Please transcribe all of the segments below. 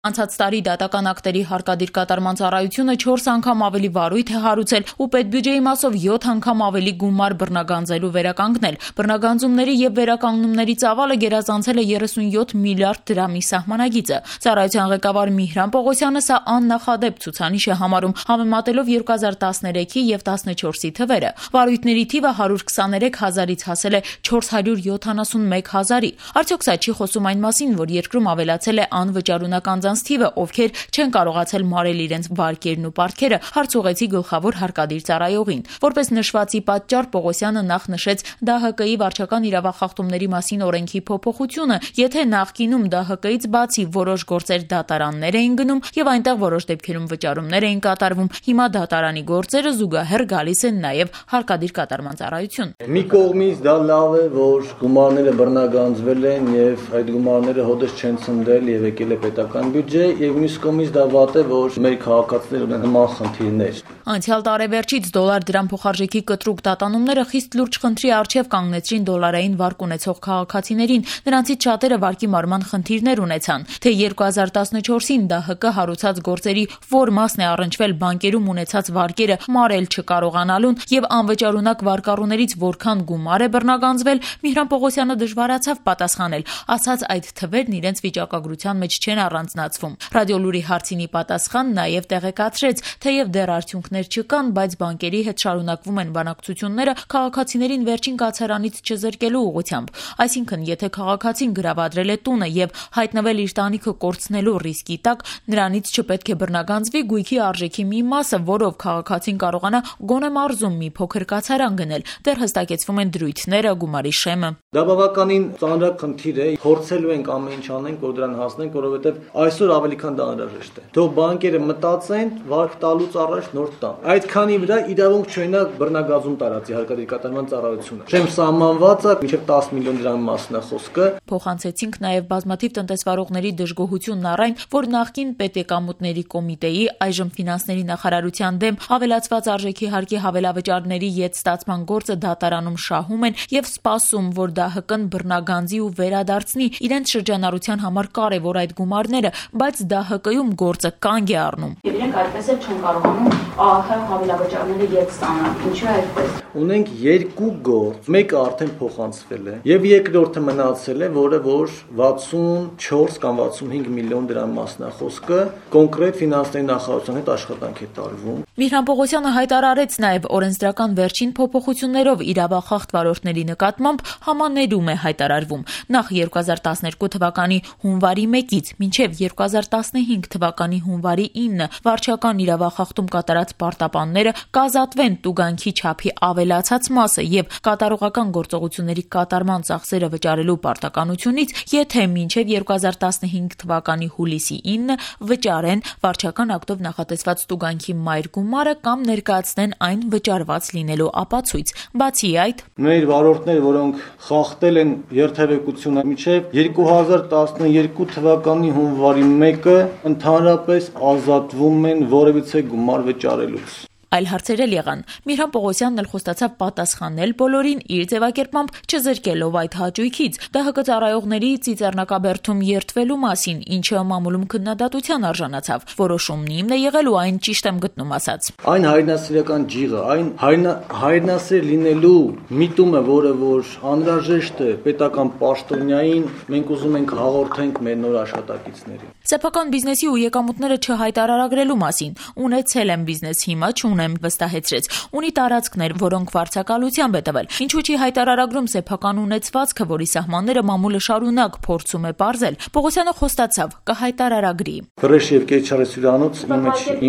Անցած տարի դատական ակտերի հարկադիր կատարման ծառայությունը 4 անգամ ավելի վարույթ է հարուցել ու պետբյուջեի մասով 7 անգամ ավելի գումար բռնագանձելու վերականգնել։ Բռնագանձումների եւ վերականգնումների ծավալը գերազանցել է 37 միլիարդ դրամի սահմանագիծը։ Ծառայության ղեկավար Միհրան Պողոսյանը սա աննախադեպ ցուցանիշ է համարում, համեմատելով 2013-ի եւ 14-ի թվերը։ Վարույթների թիվը 123 հազարից հասել է 471 հազարի։ Արդյոք սա չի խոսում այն մասին, որ երկրում ավելացել է անվճարունակ թիվը, ովքեր չեն կարողացել մարել իրենց վարկերն ու պարտքերը, հարց ուղղեցի գլխավոր հարկադիր ծառայողին։ Որպես նշվածի պատճառ Պողոսյանը նախ նշեց ԴՀԿ-ի վարչական իրավախախտումների մասին օրենքի փոփոխությունը, եթե նախկինում ԴՀԿ-ից բացի որոշ գործեր դատարաններ էին գնում եւ այնտեղ որոշ դեպքերում վճարումներ էին կատարվում, հիմա դատարանի գործերը զուգահեռ գալիս են նաեւ հարկադիր կատարման ծառայություն։ Մի կողմից դա լավ է, որ գումարները բռնագանձվել են եւ այդ գումարները հոդս չեն ցնդել եւ եկել է պետական բյուջե եւ մյուս կողմից դա վատ է, որ մեր քաղաքացիները ունեն նման խնդիրներ։ Անցյալ տարեվերջից դոլար-դրամ փոխարժեքի կտրուկ տատանումները խիստ լուրջ խնդրի առջև կանգնեցրին դոլարային վարկ ունեցող քաղաքացիներին, նրանցից շատերը վարկի մարման խնդիրներ ունեցան։ Թե 2014-ին ԴՀԿ հարուցած գործերի որ մասն է առնչվել բանկերում ունեցած վարկերը մարել չկարողանալուն եւ անվճարունակ վարկառուներից որքան գումար է բռնագանձվել, Միհրան Պողոսյանը դժվարացավ պատասխանել, ասաց այդ թվերն իրենց վիճակագրության մեջ չեն առանձնացվում։ Ռադիոլուրի հարցինի պատասխան նաև տեղեկացրեց, թեև դեռ արդյունքներ չկան, բայց բանկերի հետ շարունակվում են բանակցությունները քաղաքացիներին վերջին կացարանից չզրկելու ուղղությամբ։ Այսինքն, եթե քաղաքացին գրավադրել է տունը եւ հայտնվել իր տանիքը կորցնելու ռիսկի տակ, նրանից չպետք է բռնագանձվի գույքի արժեքի մի մասը, որով քաղաքացին կարողանա գոնե մարզում մի փոքր կացարան գնել։ Դեռ հստակեցվում են դրույթները, գումարի շեմը։ Դա բավականին ծանրակ խնդիր է, փորձելու ենք ամեն ինչ անենք, որ դրան հասնենք, որովհետեւ այսօր ավելի քան դա անհրաժեշտ է։ Թող բանկերը մտածեն վարկ տալուց առաջ նոր տան։ Այդքանի վրա իրավունք չունենա բռնագազում տարածի հարկադիր կատարման ծառայությունը։ Շեմ սահմանված է մինչև 10 միլիոն դրամի մասն է խոսքը։ Փոխանցեցինք նաև բազմաթիվ տնտեսվարողների դժգոհությունն առ այն, որ նախկին պետեկամուտների կոմիտեի, այժմ ֆինանսների նախարարության դեմ ավելացված արժեքի հարկի հավելավճարների յետ ստացման գործը դատարանում շահում են եւ սպասում, որ ԴՀԿ-ն բռնագանձի ու վերադարձնի իրենց շրջանառության համար կարևոր այդ գումարները, բայց ԴՀԿ-ում գործը կանգ է առնում։ Եվ իրենք այդպես էլ չեն կարողանում ԱՀ հավելավճարները յետ ստանալ։ Ինչու է այդպես։ Ունենք երկու գործ, մեկը արդեն փոխանցվել է եւ երկրորդը մնացել է, որը որ 64 կամ 65 միլիոն դրամ մասն է խոսքը, կոնկրետ ֆինանսների նախարարության հետ աշխատանք է տարվում։ Միհրան Պողոսյանը հայտարարեց նաև օրենսդրական վերջին փոփոխություններով իրավախախտ վարորդների նկատմամբ համաներում է հայտարարվում։ Նախ 2012 թվականի հունվարի 1-ից մինչև 2015 թվականի հունվարի 9 վարչական իրավախախտում կատարած պարտապանները կազատվեն տուգանքի չափի ավելացած մասը եւ կատարողական գործողությունների կատարման ծախսերը վճարելու պարտականությունից, եթե մինչև 2015 թվականի հուլիսի 9 վճարեն վարչական ակտով նախատեսված տուգանքի մայր գումարը կամ ներկայացնեն այն վճարված լինելու ապացույց։ Բացի այդ, մեր վարորդները, որոնք խախտել են երթևեկությունը մինչև 2012 թվականի հունվարի 1-ը ընդհանրապես ազատվում են որևիցե գումար վճարելուց։ Այլ հարցեր էլ եղան։ Միհրան Պողոսյանն էլ խոստացավ պատասխանել բոլորին իր ձևակերպմամբ չզրկելով այդ հաճույքից։ ԴՀԿ ծառայողների ծիծեռնակաբերդում երթվելու մասին, ինչը մամուլում քննադատության արժանացավ։ Որոշումն իմն է եղել ու այն ճիշտ եմ գտնում, ասաց։ Այն հայրենասիրական ջիղը, այն հայրենասեր լինելու միտումը, որը որ անհրաժեշտ է պետական պաշտոնյային, մենք ուզում ենք հաղորդենք մեր նոր աշխատակիցներին։ Սեփական բիզնեսի ու եկամուտները չհայտարարագրելու մասին։ Ունեցել եմ բիզնես, հիմա չունեմ, վստահեցրեց։ Ունի տարածքներ, որոնք վարձակալությամբ է տվել։ Ինչու՞ չի հայտարարագրում սեփական ունեցվածքը, որի սահմանները մամուլը շարունակ փորձում է պարզել։ Պողոսյանը խոստացավ կհայտարարագրի։ Ֆրեշ եւ Կեչարի հյուրանոց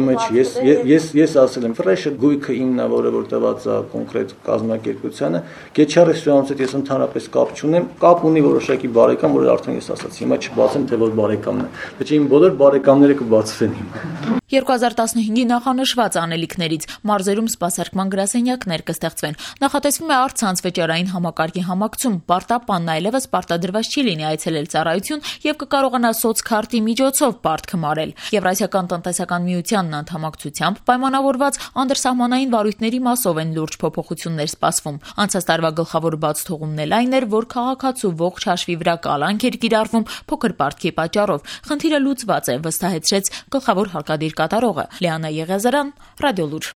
image ես ասել եմ, ֆրեշը գույքը իմն է, որը որ տված է կոնկրետ կազմակերպությանը։ Կեչարի հյուրանոցը ես ընդհանրապես կապ չունեմ, կապ ունի որոշակի բարեկամ, որը արդեն ես ասացի, հիմա չբացեմ թե որ բարեկամն է։ Իմ բոլոր բարեկամները կբացվեն հիմա։ 2015-ի նախանշված անելիքներից մարզերում սպասարկման գրասենյակներ կստեղծվեն։ Նախատեսվում է առցանց վճարային համակարգի համակցում։ Պարտապանն այլևս պարտադրված չի լինի այցելել ծառայություն եւ կկարողանա սոցքարտի միջոցով պարտքը մարել։ Եվրասիական տնտեսական միությանն անդամակցությամբ պայմանավորված անդրսահմանային վարույթների մասով են լուրջ փոփոխություններ սպասվում։ Անցած տարվա գլխավոր բացթողումն էլ այն էր, որ քաղաքացու ողջ հաշվի վրա կալանք էր կիրառվում փոքր պարտքի պատճառով։ Խնդիրը լուծված է, վստահեցրեց գլխավոր հարկադիր կատարողը Լիանա Եղիազարյան, Ռադիոլուր։